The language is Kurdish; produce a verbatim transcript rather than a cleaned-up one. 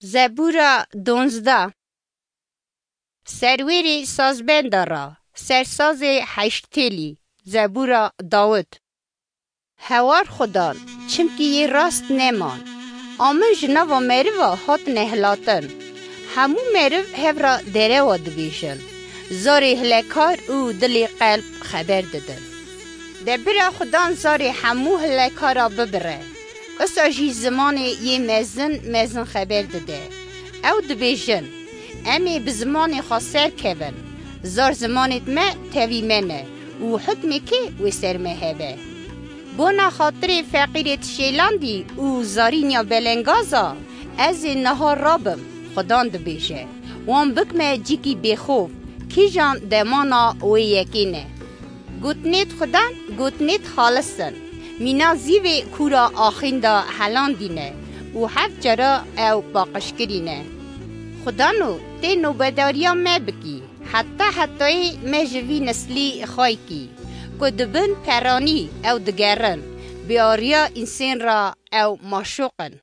Zebûra donzdeh. Serwêrê sazbenda ra, sersazê heştêlî, zebûra Dawid. Hewar Xudan, çimkî yê rast neman. A min ji nava meriva hatine hilatin. Hemû meriv hev ra derewa dibêjin. Zarê hilekar û dilê qelb xeber didin. De bira Xudan zarê hemû hilekara bibire. Usa jî zimanê yê mezin mezin xeber dide. Ew dibêjin, em ê bi zimanê xwe serkevin. Zar zimanêd me tevî me ne û hukmê kê wê ser me hebe? Bona xatirê feqîrêd şêlandî û zarînya belengaza, ez ê niha rabim, Xudan dibêje. Wan bikme cîkî bêxof, kîjan demana wê yekê ne. Gotinêd Xudan, gotinêd xalis in. Mîna zîvê kûra axînda helandîne û heft cara ew paqij kirîne. Xudano, tê nobedariya me bikî, heta hetayê me ji vî nislî xaykî, ku di bin peranî ew digerin, bi ariya însên ra ew maşoq in.